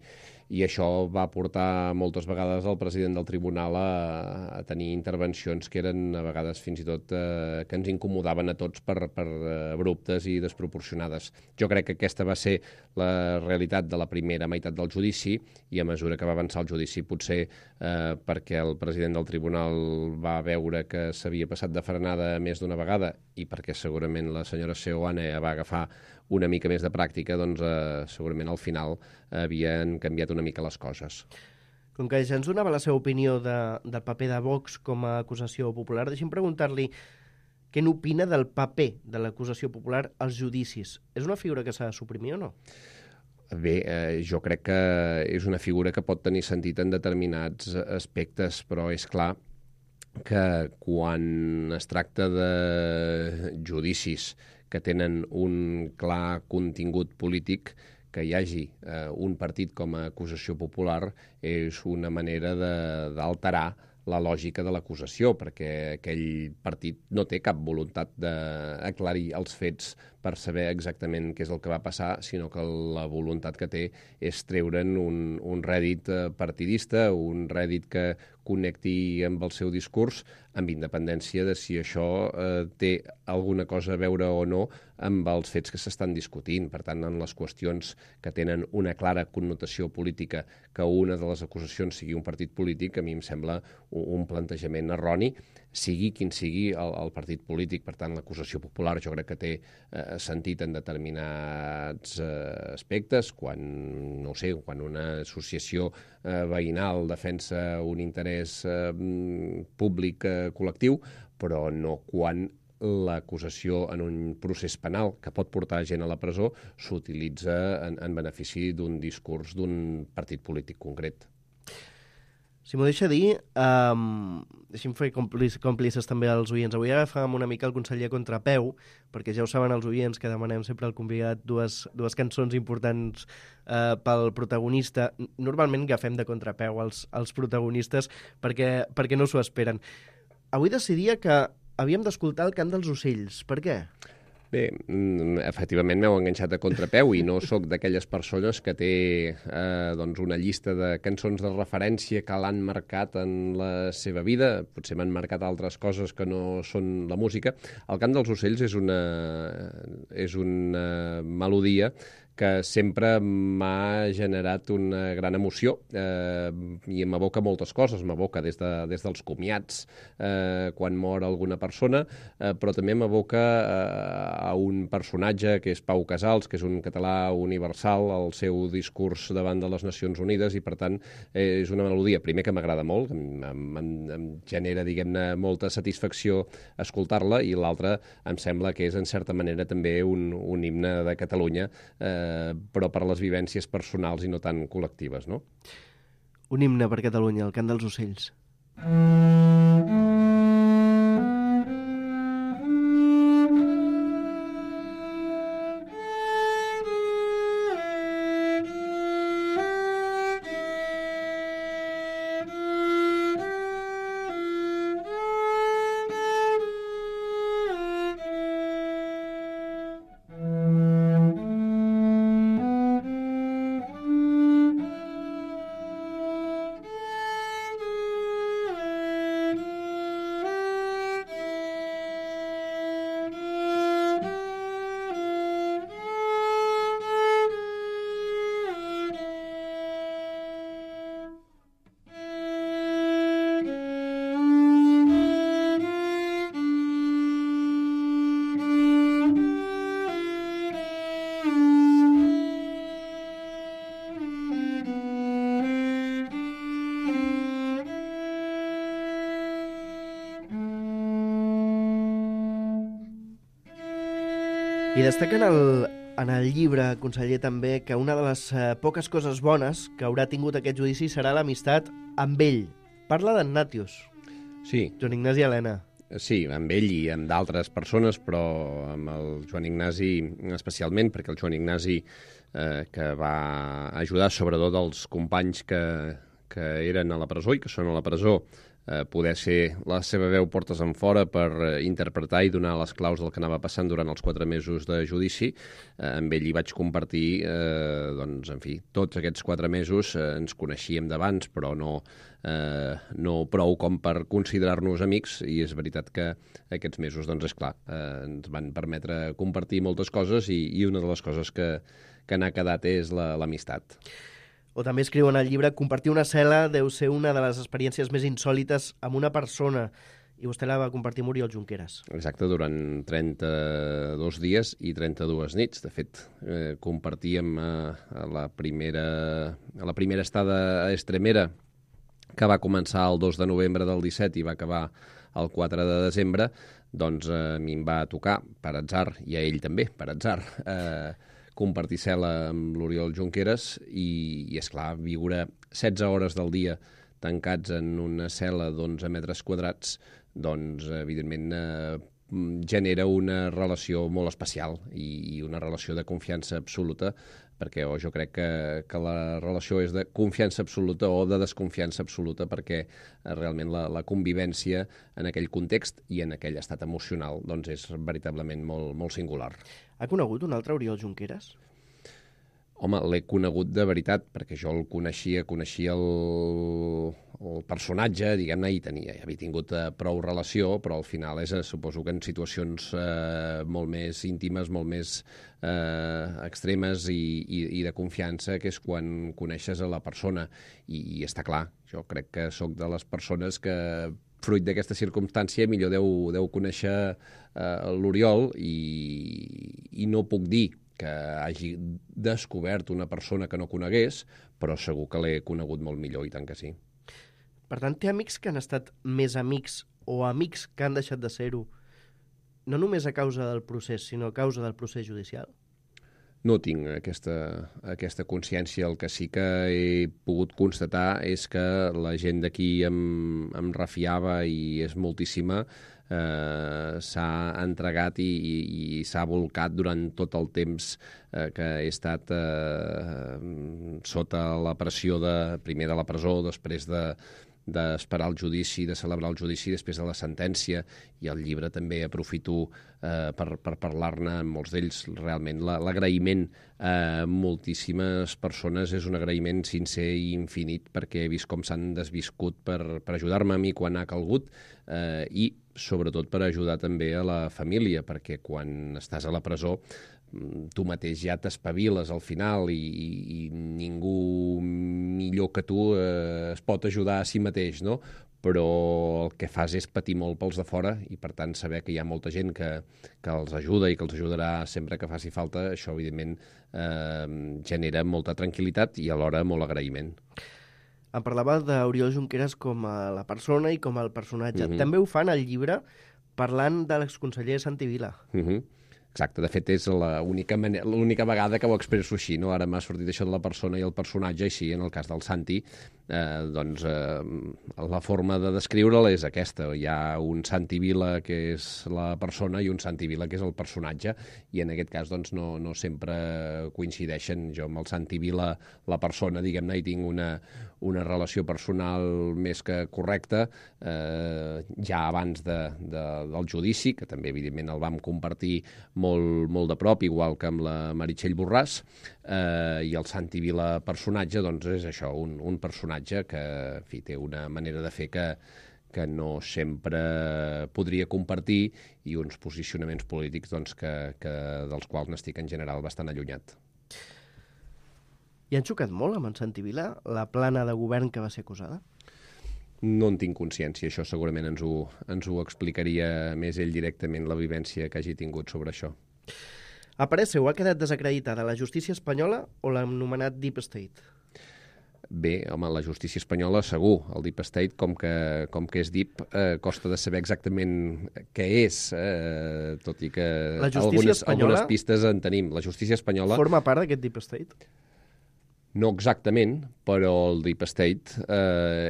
I això va portar moltes vegades el president del tribunal a tenir intervencions que eren, a vegades, fins i tot, que ens incomodaven a tots per abruptes i desproporcionades. Jo crec que aquesta va ser la realitat de la primera meitat del judici, i a mesura que va avançar el judici, potser perquè el president del tribunal va veure que s'havia passat de frenada més d'una vegada i perquè segurament la senyora Seoane va agafar una mica més de pràctica, doncs segurament al final havien canviat una mica les coses. Com que ja ens donava la seva opinió del paper de Vox com a acusació popular, deixi'm preguntar-li què n'opina del paper de l'acusació popular als judicis. És una figura que s'ha de suprimir o no? Bé, jo crec que és una figura que pot tenir sentit en determinats aspectes, però és clar que quan es tracta de judicis que tenen un clar contingut polític, que hi hagi un partit com a acusació popular és una manera d'alterar la lògica de l'acusació, perquè aquell partit no té cap voluntat d'aclarir els fets per saber exactament què és el que va passar, sinó que la voluntat que té és treure'n un rèdit partidista, un rèdit que connecti amb el seu discurs, amb independència de si això té alguna cosa a veure o no amb els fets que s'estan discutint. Per tant, en les qüestions que tenen una clara connotació política, que una de les acusacions sigui un partit polític, a mi em sembla un plantejament erroni. sigui quin sigui el partit polític. Per tant, l'acusació popular jo crec que té sentit en determinats aspectes, quan una associació veïnal defensa un interès públic col·lectiu, però no quan l'acusació en un procés penal que pot portar gent a la presó s'utilitza en benefici d'un discurs d'un partit polític concret. Si m'ho deixa dir, deixem fer còmplices també als oients. Avui agafàvem una mica el conseller a contrapeu, perquè ja ho saben els oients que demanem sempre al convidat dues cançons importants pel protagonista. Normalment agafem de contrapeu els protagonistes perquè no s'ho esperen. Avui decidia que havíem d'escoltar el cant dels ocells. Per què? Bé, efectivament m'heu enganxat a contrapeu i no sóc d'aquelles persones que té una llista de cançons de referència que l'han marcat en la seva vida. Potser m'han marcat altres coses que no són la música. El cant dels ocells és una melodia que sempre m'ha generat una gran emoció i m'evoca moltes coses. M'evoca des dels comiats, quan mor alguna persona, però també m'evoca a un personatge que és Pau Casals, que és un català universal, el seu discurs davant de les Nacions Unides, i per tant és una melodia, primer, que m'agrada molt, em genera, diguem-ne, molta satisfacció escoltar-la, i l'altra em sembla que és, en certa manera, també un himne de Catalunya, però per les vivències personals i no tan col·lectives, no? Un himne per Catalunya, el cant dels ocells. I destaquen en el llibre, conseller, també, que una de les poques coses bones que haurà tingut aquest judici serà l'amistat amb ell. Parla d'en Nàtios. Sí. Joan Ignasi Elena. Sí, amb ell i amb d'altres persones, però amb el Joan Ignasi especialment, perquè el Joan Ignasi, que va ajudar sobretot els companys que eren a la presó i que són a la presó, poder ser la seva veu portes enfora per interpretar i donar les claus del que anava passant durant els 4 mesos de judici. Amb ell hi vaig compartir, tots aquests 4 mesos. Ens coneixíem d'abans, però no prou com per considerar-nos amics, i és veritat que aquests mesos, és clar, ens van permetre compartir moltes coses, i una de les coses que n'ha quedat és l'amistat. O també escriu en el llibre: compartir una cel·la deu ser una de les experiències més insòlites amb una persona. I vostè la va compartir amb Oriol Junqueras. Exacte, durant 32 dies i 32 nits. De fet, compartíem a la primera estada a Estremera, que va començar el 2 de novembre del 17 i va acabar el 4 de desembre, doncs a mi em va tocar, per atzar, i a ell també, per atzar, compartir cel·la amb l'Oriol Junqueras i esclar, viure 16 hores del dia tancats en una cel·la d'11 metres quadrats, doncs, evidentment, genera una relació molt especial i una relació de confiança absoluta, perquè jo crec que la relació és de confiança absoluta o de desconfiança absoluta, perquè realment la convivència en aquell context i en aquell estat emocional doncs és veritablement molt, molt singular. Ha conegut un altre Oriol Junqueras? Home, l'he conegut de veritat, perquè jo el coneixia el personatge, diguem-ne, i havia tingut prou relació, però al final suposo que en situacions molt més íntimes, molt més extremes i de confiança, que és quan coneixes a la persona. I està clar, jo crec que sóc de les persones que fruit d'aquesta circumstància, millor deu conèixer l'Oriol i no puc dir que hagi descobert una persona que no conegués, però segur que l'he conegut molt millor, i tant que sí. Per tant, té amics que han estat més amics o amics que han deixat de ser-ho, no només a causa del procés, sinó a causa del procés judicial? No tinc aquesta consciència. El que sí que he pogut constatar és que la gent d'aquí em refiava, i és moltíssima, s'ha entregat i s'ha volcat durant tot el temps que he estat sota la pressió primer de la presó, després d'esperar el judici, de celebrar el judici després de la sentència, i el llibre també aprofito per parlar-ne amb molts d'ells. Realment l'agraïment a moltíssimes persones és un agraïment sincer i infinit, perquè he vist com s'han desviscut per ajudar-me a mi quan ha calgut, i sobretot per ajudar també a la família, perquè quan estàs a la presó tu mateix ja t'espaviles al final, i ningú millor que tu es pot ajudar a si mateix, no? Però el que fas és patir molt pels de fora, i per tant saber que hi ha molta gent que els ajuda i que els ajudarà sempre que faci falta, això evidentment genera molta tranquil·litat i alhora molt agraïment. Em parlava d'Oriol Junqueras com a la persona i com el personatge. També ho fan al llibre parlant de l'exconseller Santi Vila. Exacte, de fet és l'única vegada que ho expresso així, no? Ara m'ha sortit això de la persona i el personatge, i sí, en el cas del Santi, la forma de descriure'l és aquesta. Hi ha un Santi Vila que és la persona i un Santi Vila que és el personatge, i en aquest cas doncs, no sempre coincideixen. Jo amb el Santi Vila, la persona, diguem-ne, hi tinc una relació personal més que correcta, ja abans del judici, que també evidentment el vam compartir molt de prop, igual que amb la Meritxell Borràs, i el Santi Vila personatge doncs és això, un personatge que en fi, té una manera de fer que no sempre podria compartir, i uns posicionaments polítics doncs, dels quals n'estic en general bastant allunyat. I han xocat molt amb en Santi Vila, la plana de govern que va ser acusada? No en tinc consciència, això segurament ens ho explicaria més ell directament, la vivència que hagi tingut sobre això. A parer seu, ha quedat desacreditada la justícia espanyola o l'anomenat Deep State? Bé, home, la justícia espanyola segur. El Deep State, com que és deep, costa de saber exactament què és, tot i que algunes pistes en tenim. La justícia espanyola forma part d'aquest Deep State? No exactament, però el Deep State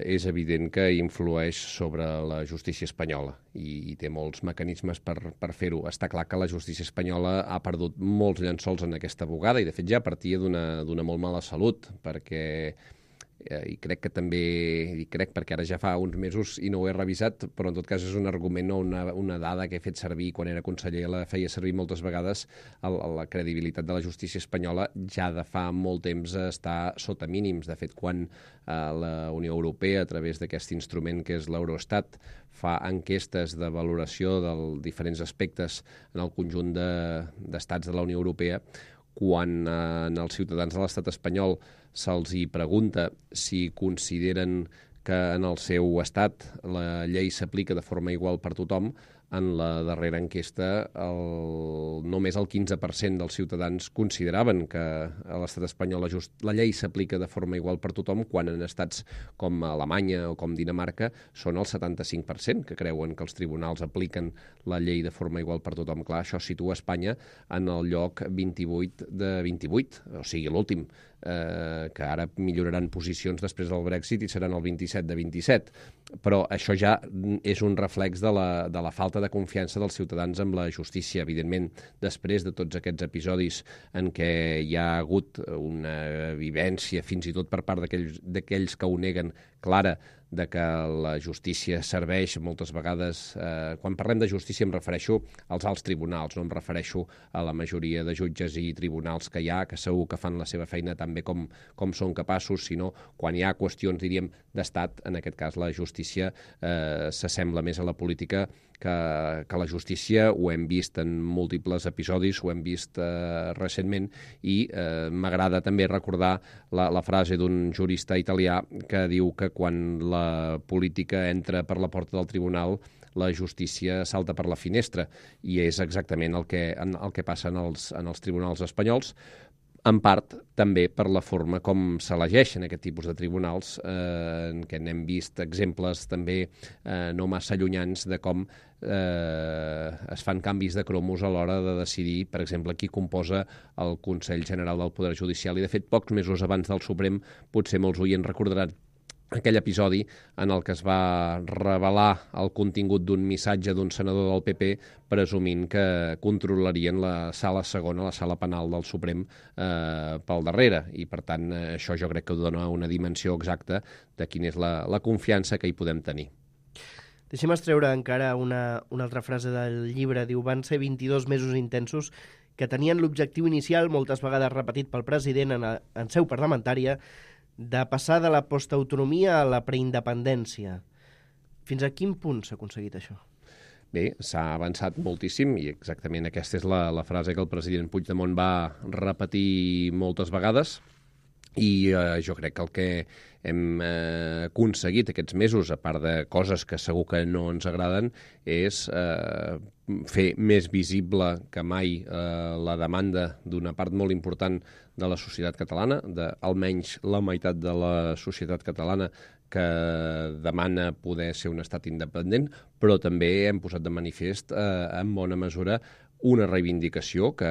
és evident que influeix sobre la justícia espanyola i té molts mecanismes per fer-ho. Està clar que la justícia espanyola ha perdut molts llençols en aquesta bugada, i de fet ja partia d'una molt mala salut, perquè i crec que també, perquè ara ja fa uns mesos i no ho he revisat, però en tot cas és un argument o una dada que he fet servir quan era conseller, la feia servir moltes vegades. La credibilitat de la justícia espanyola ja de fa molt temps està sota mínims. De fet, quan la Unió Europea, a través d'aquest instrument que és l'Eurostat, fa enquestes de valoració dels diferents aspectes en el conjunt d'estats de la Unió Europea, quan als ciutadans de l'estat espanyol se'ls hi pregunta si consideren que en el seu estat la llei s'aplica de forma igual per tothom, en la darrera enquesta només el 15% dels ciutadans consideraven que a l'estat espanyol la llei s'aplica de forma igual per tothom, quan en estats com Alemanya o com Dinamarca són el 75% que creuen que els tribunals apliquen la llei de forma igual per tothom. Clar, això situa Espanya en el lloc 28 de 28, o sigui, l'últim, que ara milloraran posicions després del Brexit i seran el 27 de 27. Però això ja és un reflex de la falta de confiança dels ciutadans amb la justícia. Evidentment, després de tots aquests episodis en què hi ha hagut una vivència, fins i tot per part d'aquells que ho neguen, clara, de que la justícia serveix moltes vegades... Quan parlem de justícia em refereixo als alts tribunals, no em refereixo a la majoria de jutges i tribunals que hi ha, que segur que fan la seva feina tan bé com són capaços, sinó quan hi ha qüestions, diríem, d'estat, en aquest cas la justícia s'assembla més a la política que la justícia, ho hem vist en múltiples episodis, ho hem vist recentment, i m'agrada també recordar la frase d'un jurista italià que diu que quan la política entra per la porta del tribunal, la justícia salta per la finestra, i és exactament el que passa en els tribunals espanyols, en part també per la forma com s'elegeixen aquest tipus de tribunals, en què n'hem vist exemples també no massa allunyans de com es fan canvis de cromos a l'hora de decidir, per exemple, qui composa el Consell General del Poder Judicial. I, de fet, pocs mesos abans del Suprem, potser molts oients recordaran aquell episodi en el que es va revelar el contingut d'un missatge d'un senador del PP presumint que controlarien la sala segona, la sala penal del Suprem, pel darrere. I, per tant, això jo crec que dona una dimensió exacta de quina és la confiança que hi podem tenir. Deixem extreure encara una altra frase del llibre. Diu, van ser 22 mesos intensos que tenien l'objectiu inicial, moltes vegades repetit pel president en seu parlamentària, de passar de la postautonomia a la preindependència. Fins a quin punt s'ha aconseguit això? Bé, s'ha avançat moltíssim, i exactament aquesta és la frase que el president Puigdemont va repetir moltes vegades, i jo crec que el que hem aconseguit aquests mesos, a part de coses que segur que no ens agraden, és fer més visible que mai la demanda d'una part molt important de la societat catalana, d'almenys la meitat de la societat catalana que demana poder ser un estat independent, però també hem posat de manifest en bona mesura una reivindicació que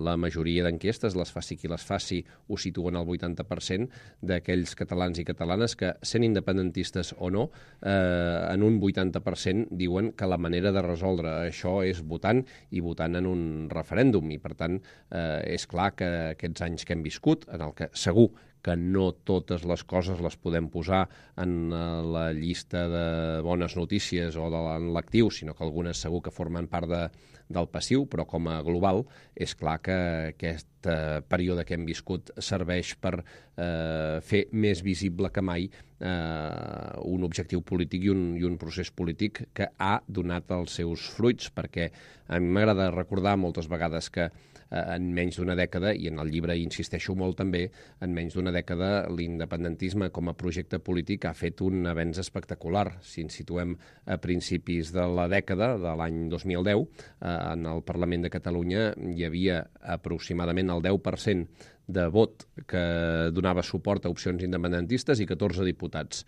la majoria d'enquestes, les faci qui les faci, ho situen al 80% d'aquells catalans i catalanes que, sent independentistes o no, en un 80% diuen que la manera de resoldre això és votant, i votant en un referèndum. I, per tant, és clar que aquests anys que hem viscut, en el que segur que no totes les coses les podem posar en la llista de bones notícies o en l'actiu, sinó que algunes segur que formen part del passiu, però com a global és clar que aquest període que hem viscut serveix per fer més visible que mai un objectiu polític i un procés polític que ha donat els seus fruits, perquè a mi m'agrada recordar moltes vegades que en menys d'una dècada, i en el llibre insisteixo molt també, en menys d'una dècada l'independentisme com a projecte polític ha fet un avenç espectacular. Si ens situem a principis de la dècada, de l'any 2010, en el Parlament de Catalunya hi havia aproximadament el 10% de vot que donava suport a opcions independentistes i 14 diputats.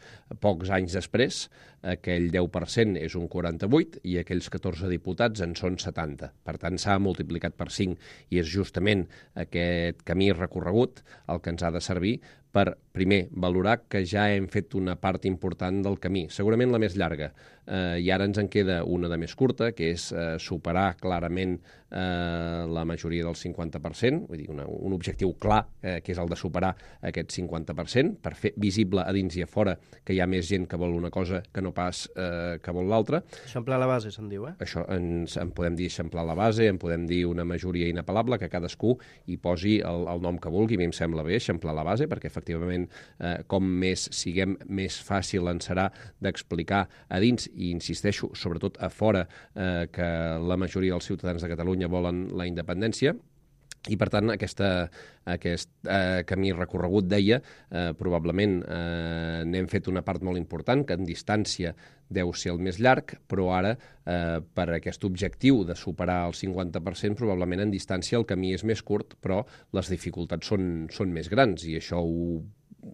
Pocs anys després, aquell 10% és un 48% i aquells 14 diputats en són 70. Per tant, s'ha multiplicat per 5, i és justament aquest camí recorregut el que ens ha de servir per, primer, valorar que ja hem fet una part important del camí, segurament la més llarga, i ara ens en queda una de més curta, que és superar clarament la majoria del 50%, vull dir, un objectiu clar, que és el de superar aquest 50%, per fer visible a dins i a fora que hi ha més gent que vol una cosa que no pas que vol l'altra. Eixamplar la base, se'n diu, Això en podem dir eixamplar la base, en podem dir una majoria inapel·lable, que cadascú hi posi el nom que vulgui. A mi em sembla bé eixamplar la base, perquè efectivament com més siguem, més fàcil ens serà d'explicar a dins, i insisteixo, sobretot a fora, que la majoria dels ciutadans de Catalunya volen la independència. I, per tant, aquest camí recorregut, deia, probablement n'hem fet una part molt important, que en distància deu ser el més llarg, però ara, per aquest objectiu de superar el 50%, probablement en distància el camí és més curt, però les dificultats són més grans, i això ho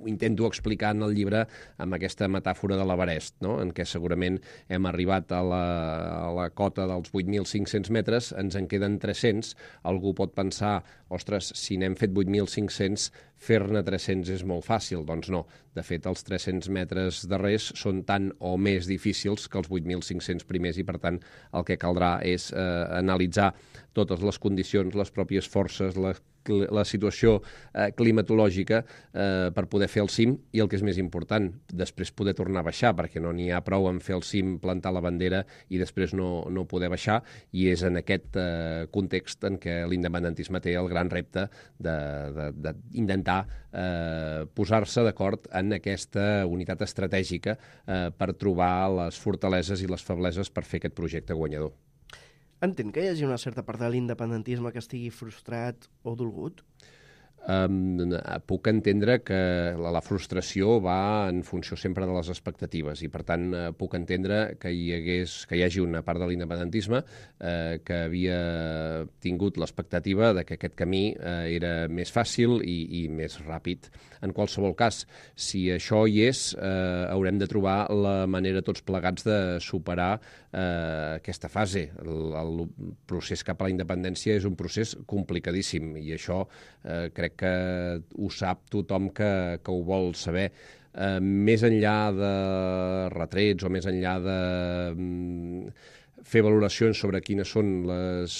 intento explicar en el llibre amb aquesta metàfora de l'Everest, no? En què segurament hem arribat a la cota dels 8.500 metres, ens en queden 300, algú pot pensar, ostres, si n'hem fet 8.500, fer-ne 300 és molt fàcil. Doncs no, de fet els 300 metres darrers són tan o més difícils que els 8.500 primers, i per tant el que caldrà és analitzar totes les condicions, les pròpies forces, la situació climatològica per poder fer el cim, i el que és més important, després poder tornar a baixar, perquè no n'hi ha prou en fer el cim, plantar la bandera i després no poder baixar, i és en aquest context en què l'independentisme té el gran repte d'intentar intentar posar-se d'acord en aquesta unitat estratègica per trobar les fortaleses i les febleses per fer aquest projecte guanyador. Entenc que hi hagi una certa part de l'independentisme que estigui frustrat o dolgut? Puc entendre que la frustració va en funció sempre de les expectatives i, per tant, puc entendre que hi hagi una part de l'independentisme que havia tingut l'expectativa de que aquest camí era més fàcil i més ràpid. En qualsevol cas, si això hi és, haurem de trobar la manera tots plegats de superar aquesta fase. El procés cap a la independència és un procés complicadíssim i això crec que ho sap tothom que ho vol saber. Més enllà de retrets o més enllà de fer valoracions sobre quines són les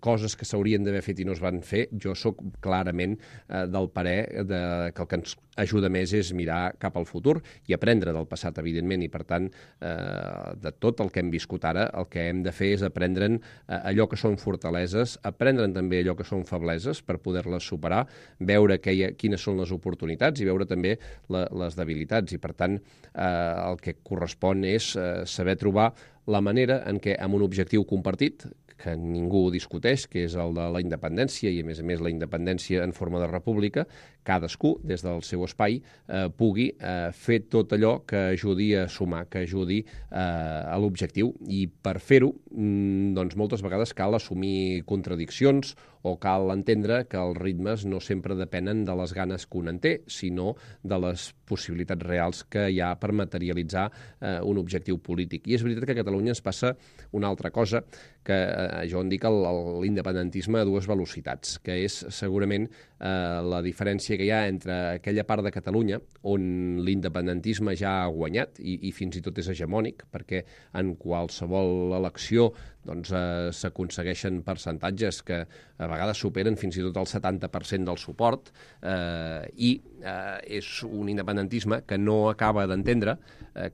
coses que s'haurien d'haver fet i no es van fer, jo sóc clarament del parer que el que ens ajuda més és mirar cap al futur i aprendre del passat, evidentment, i per tant, de tot el que hem viscut ara, el que hem de fer és aprendre'n allò que són fortaleses, aprendre'n també allò que són febleses per poder-les superar, veure quines són les oportunitats i veure també les debilitats, i per tant el que correspon és saber trobar la manera en què, amb un objectiu compartit, que ningú discuteix, que és el de la independència, i a més la independència en forma de república, cadascú, des del seu espai, pugui fer tot allò que ajudi a sumar, que ajudi a l'objectiu. I per fer-ho, doncs moltes vegades cal assumir contradiccions o cal entendre que els ritmes no sempre depenen de les ganes que un en té, sinó de les possibilitats reals que hi ha per materialitzar un objectiu polític. I és veritat que a Catalunya ens passa una altra cosa, que jo en dic l'independentisme a dues velocitats, que és segurament la diferència que hi ha entre aquella part de Catalunya on l'independentisme ja ha guanyat i fins i tot és hegemònic, perquè en qualsevol elecció doncs, s'aconsegueixen percentatges que a vegades superen fins i tot el 70% del suport i és un independentisme que no acaba d'entendre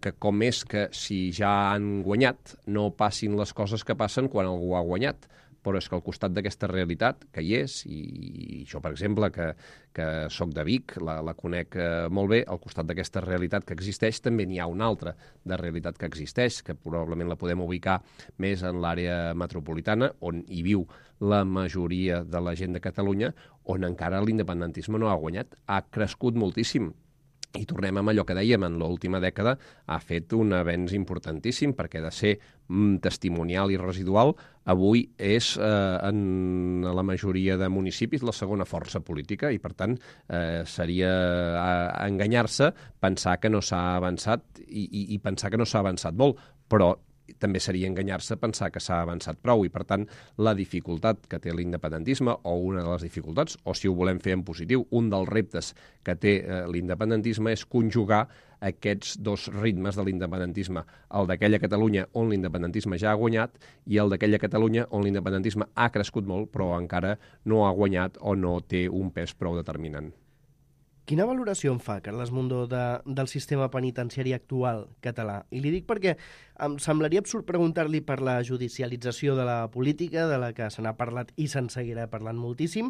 que com és que si ja han guanyat no passin les coses que passen quan algú ha guanyat, però és que al costat d'aquesta realitat que hi és, i jo, per exemple, que soc de Vic, la conec molt bé, al costat d'aquesta realitat que existeix també n'hi ha una altra de realitat que existeix, que probablement la podem ubicar més en l'àrea metropolitana, on hi viu la majoria de la gent de Catalunya, on encara l'independentisme no ha guanyat, ha crescut moltíssim. I tornem amb allò que dèiem, en l'última dècada ha fet un avenç importantíssim, perquè de ser testimonial i residual, avui és en la majoria de municipis la segona força política i, per tant, seria enganyar-se pensar que no s'ha avançat i pensar que no s'ha avançat molt, però també seria enganyar-se pensar que s'ha avançat prou i, per tant, la dificultat que té l'independentisme, o una de les dificultats, o si ho volem fer en positiu, un dels reptes que té l'independentisme és conjugar aquests dos ritmes de l'independentisme, el d'aquella Catalunya on l'independentisme ja ha guanyat i el d'aquella Catalunya on l'independentisme ha crescut molt però encara no ha guanyat o no té un pes prou determinant. Quina valoració en fa, Carles Mundó, del sistema penitenciari actual català? I li dic perquè em semblaria absurd preguntar-li per la judicialització de la política, de la que se n'ha parlat i se'n seguirà parlant moltíssim,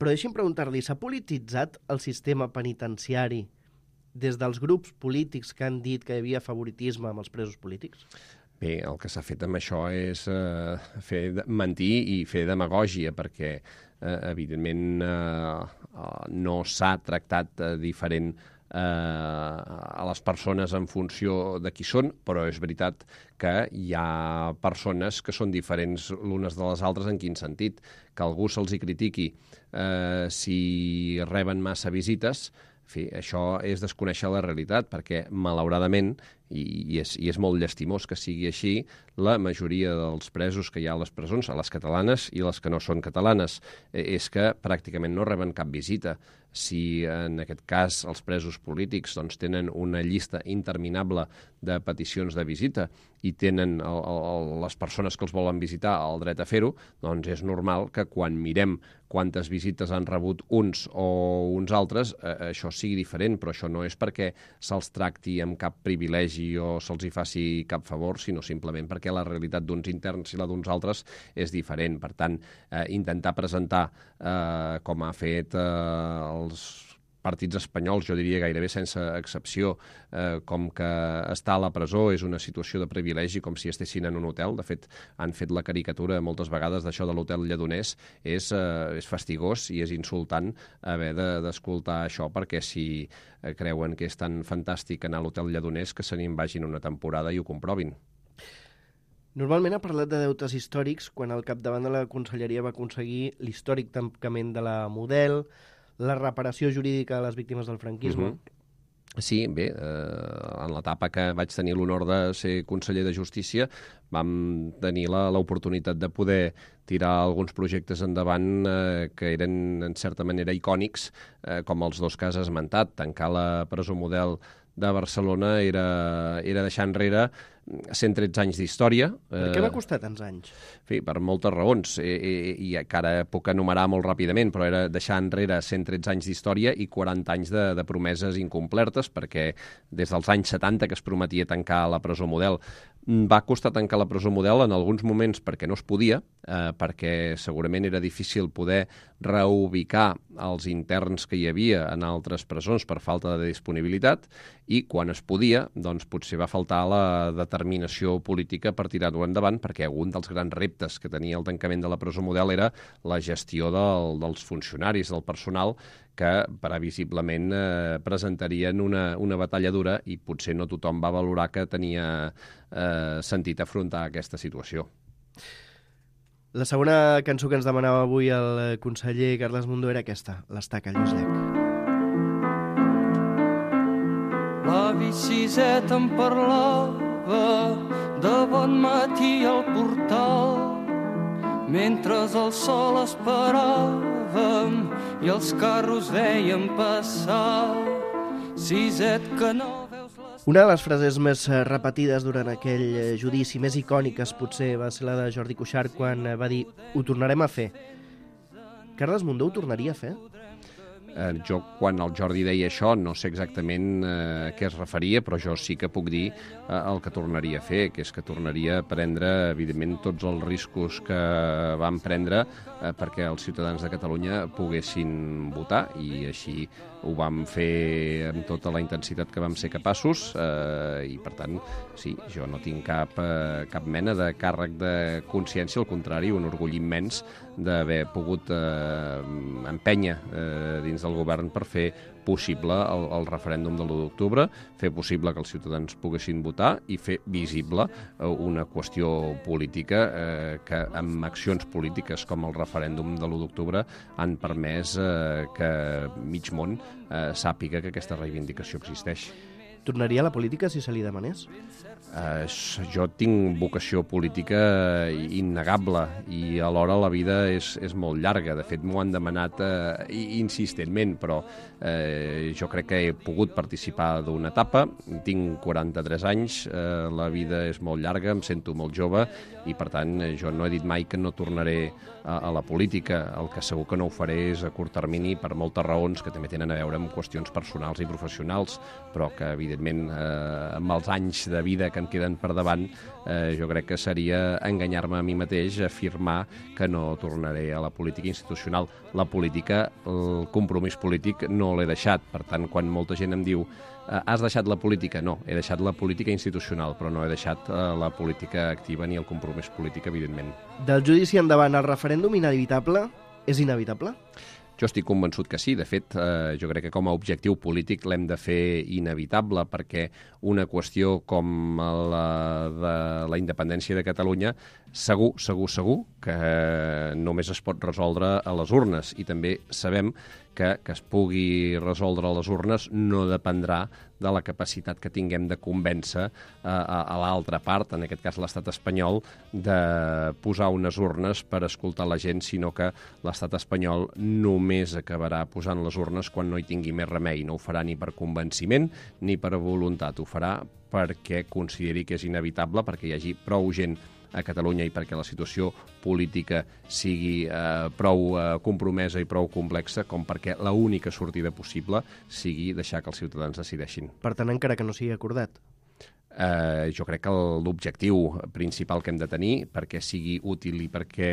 però deixi'm preguntar-li, s'ha polititzat el sistema penitenciari des dels grups polítics que han dit que hi havia favoritisme amb els presos polítics? Bé, el que s'ha fet amb això és mentir i fer demagògia, perquè evidentment no s'ha tractat diferent a les persones en funció de qui són, però és veritat que hi ha persones que són diferents l'unes de les altres. En quin sentit? Que algú se'ls hi critiqui si reben massa visites. En fi, això és desconèixer la realitat, perquè malauradament, i és molt llastimós que sigui així, la majoria dels presos que hi ha a les presons, a les catalanes i les que no són catalanes, és que pràcticament no reben cap visita. Si en aquest cas els presos polítics doncs, tenen una llista interminable de peticions de visita i tenen les persones que els volen visitar el dret a fer-ho, doncs és normal que quan mirem quantes visites han rebut uns o uns altres, això sigui diferent, però això no és perquè se'ls tracti amb cap privilegi privilegi o se'ls hi faci cap favor, sinó simplement perquè la realitat d'uns interns i la d'uns altres és diferent. Per tant, intentar presentar, com ha fet els partits espanyols, jo diria gairebé sense excepció, com que estar a la presó és una situació de privilegi, com si estessin en un hotel. De fet, han fet la caricatura moltes vegades d'això de l'hotel Lledoners. És fastigós i és insultant haver d'escoltar això, perquè si creuen que és tan fantàstic anar a l'hotel Lledoners, que se n'hi vagin una temporada i ho comprovin. Normalment ha parlat de deutes històrics quan al capdavant de la conselleria va aconseguir l'històric tancament de la Model, la reparació jurídica de les víctimes del franquisme. Sí, bé, en l'etapa que vaig tenir l'honor de ser conseller de Justícia vam tenir l'oportunitat de poder tirar alguns projectes endavant que eren, en certa manera, icònics, com els dos que has esmentat. Tancar la presó Model de Barcelona era deixar enrere 113 anys d'història. Per què va costar tants anys? Per moltes raons, i que ara puc enumerar molt ràpidament, però era deixar enrere 113 anys d'història i 40 anys de promeses incomplertes, perquè des dels anys 70 que es prometia tancar la presó Model. Va costar tancar la presó Model en alguns moments perquè no es podia, perquè segurament era difícil poder reubicar els interns que hi havia en altres presons per falta de disponibilitat, i quan es podia, doncs potser va faltar la determinació política per tirar-ho endavant, perquè un dels grans reptes que tenia el tancament de la presó Model era la gestió dels funcionaris, del personal, que previsiblement presentarien una batalla dura, i potser no tothom va valorar que tenia sentit afrontar aquesta situació. La segona cançó que ens demanava avui el conseller Carles Mundó era aquesta, l'Estaca Lluís Llach. L'avi Siset em parlava de bon matí al portal, mentre el sol esperàvem i els carros veiem passar. Siset, que no veus les... Una de les frases més repetides durant aquell judici, més icòniques potser, va ser la de Jordi Cuixart quan va dir «Ho tornarem a fer». Carles Mundó ho tornaria a fer? Jo, quan el Jordi deia això, no sé exactament a què es referia, però jo sí que puc dir el que tornaria a fer, que és que tornaria a prendre, evidentment, tots els riscos que vam prendre perquè els ciutadans de Catalunya poguessin votar, i així ho vam fer amb tota la intensitat que vam ser capaços, i per tant, sí, jo no tinc cap mena de càrrec de consciència, al contrari, un orgull immens d'haver pogut empènyer dins del govern per fer possible el referèndum de l'1 d'octubre, fer possible que els ciutadans poguessin votar i fer visible una qüestió política que amb accions polítiques com el referèndum de l'1 d'octubre han permès que mig món sàpiga que aquesta reivindicació existeix. Tornaria a la política si se li demanés? Jo tinc vocació política innegable, i alhora la vida és molt llarga. De fet, m'ho han demanat insistentment, però jo crec que he pogut participar d'una etapa. Tinc 43 anys, la vida és molt llarga, em sento molt jove, i per tant jo no he dit mai que no tornaré a la política. El que segur que no ho faré és a curt termini, per moltes raons que també tenen a veure amb qüestions personals i professionals, però que evidentment amb els anys de vida que em queden per davant, jo crec que seria enganyar-me a mi mateix afirmar que no tornaré a la política institucional. La política, el compromís polític no l'he deixat. Per tant, quan molta gent em diu has deixat la política? No, he deixat la política institucional, però no he deixat la política activa ni el compromís polític, evidentment. Del judici endavant, el referèndum inevitable és inevitable? Jo estic convençut que sí. De fet, jo crec que com a objectiu polític l'hem de fer inevitable, perquè una qüestió com la de la independència de Catalunya segur que només es pot resoldre a les urnes, i també sabem que es pugui resoldre a les urnes no dependrà de la capacitat que tinguem de convèncer a l'altra part, en aquest cas l'estat espanyol, de posar unes urnes per escoltar la gent, sinó que l'estat espanyol només acabarà posant les urnes quan no hi tingui més remei. No ho farà ni per convenciment ni per voluntat, ho farà perquè consideri que és inevitable, perquè hi hagi prou gent a Catalunya i perquè la situació política sigui prou compromesa i prou complexa com perquè l'única sortida possible sigui deixar que els ciutadans decideixin. Per tant, encara que no sigui acordat? Jo crec que l'objectiu principal que hem de tenir perquè sigui útil i perquè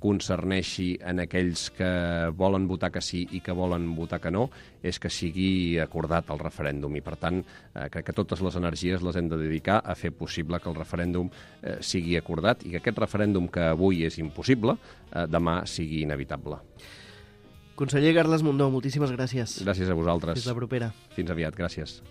concerneixi en aquells que volen votar que sí i que volen votar que no és que sigui acordat el referèndum i per tant crec que totes les energies les hem de dedicar a fer possible que el referèndum sigui acordat i que aquest referèndum que avui és impossible demà sigui inevitable. Conseller Carles Mundó, moltíssimes gràcies. Gràcies a vosaltres. Fins la propera. Fins aviat, gràcies.